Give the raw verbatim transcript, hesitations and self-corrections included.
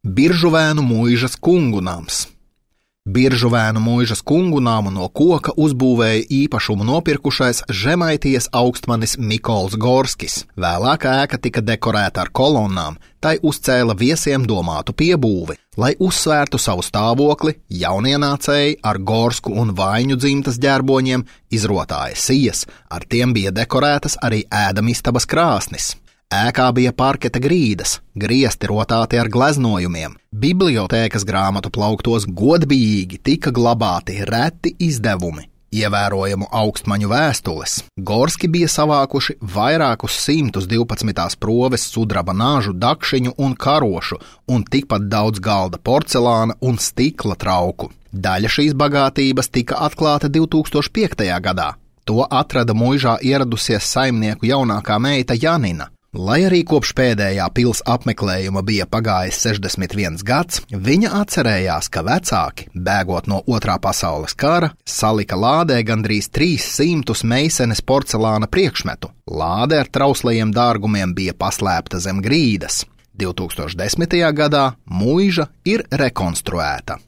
Biržuvēnu muižas kungu nams. Biržuvēnu muižas kungu namu no koka uzbūvēja īpašumu nopirkušais Žemaitijas augstmanis Mikols Gorskis. Vēlāk ēka tika dekorēta ar kolonnām, tai uzcēla viesiem domātu piebūvi, lai uzsvērtu savu stāvokli. Jaunienācēji ar Gorsku un Vaiņu dzimtas ģērboņiem izrotāja sijas, ar tiem bija dekorētas arī ēdamistabas krāsnis. Ēkā bija parketa grīdas, griesti rotāti ar gleznojumiem. Bibliotēkas grāmatu plauktos godbijīgi tika glabāti reti izdevumi, ievērojamu augstmaņu vēstules. Gorski bija savākuši vairākus simtus divpadsmitās proves sudraba nāžu, dakšiņu un karošu, un tikpat daudz galda porcelāna un stikla trauku. Daļa šīs bagātības tika atklāta divtūkstoš piektajā gadā. To atrada muižā ieradusies saimnieku jaunākā meita Janina. Lai arī kopš pēdējā pils apmeklējuma bija pagājis sešdesmit viens gads, viņa atcerējās, ka vecāki, bēgot no otrā pasaules kara, salika lādē gandrīz trīs simtus meisenes porcelāna priekšmetu. Lāde ar trauslajiem dārgumiem bija paslēpta zem grīdas. divtūkstoš desmitajā gadā muiža ir rekonstruēta.